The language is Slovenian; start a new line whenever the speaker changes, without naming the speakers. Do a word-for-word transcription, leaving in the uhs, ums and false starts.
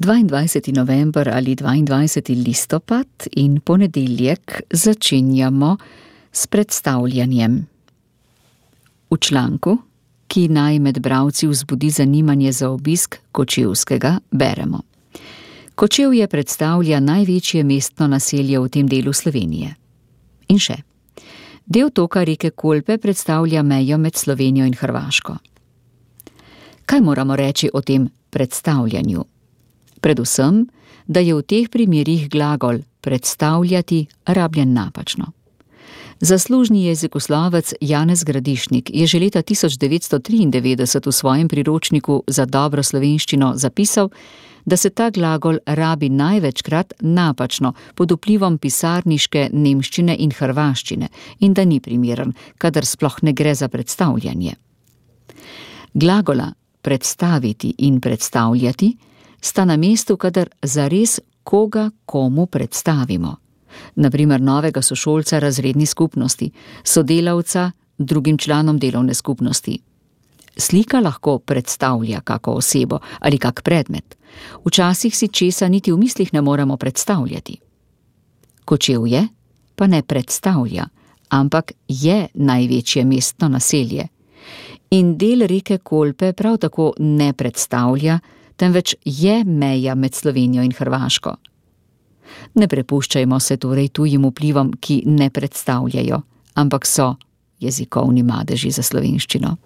dvaindvajseti november ali dvaindvajseti listopad in ponedeljek začenjamo s predstavljanjem. V članku, ki naj med bralci vzbudi zanimanje za obisk Kočevskega, beremo. Kočevje predstavlja največje mestno naselje v tem delu Slovenije. In še. Del toka reke Kolpe predstavlja mejo med Slovenijo in Hrvaško. Kaj moramo reči o tem predstavljanju? Predvsem, da je v teh primerih glagol predstavljati rabljen napačno. Zaslužni jezikoslovec Janez Gradišnik je že leta tisoč devetsto triindevetdeset v svojem priročniku za dobro slovenščino zapisal, da se ta glagol rabi največkrat napačno pod vplivom pisarniške nemščine in hrvaščine in da ni primeren, kadar sploh ne gre za predstavljanje. Glagola predstaviti in predstavljati sta na mestu, kadar zares koga komu predstavimo. Naprimer novega sošolca razredni skupnosti, sodelavca drugim članom delovne skupnosti. Slika lahko predstavlja kako osebo ali kak predmet. Včasih si česa niti v mislih ne moremo predstavljati. Kočevje pa ne predstavlja, ampak je največje mestno naselje. In del reke Kolpe prav tako ne predstavlja, temveč je meja med Slovenijo in Hrvaško. Ne prepuščajmo se torej tujim vplivom, ki ne predstavljajo, ampak so jezikovni madeži za slovenščino.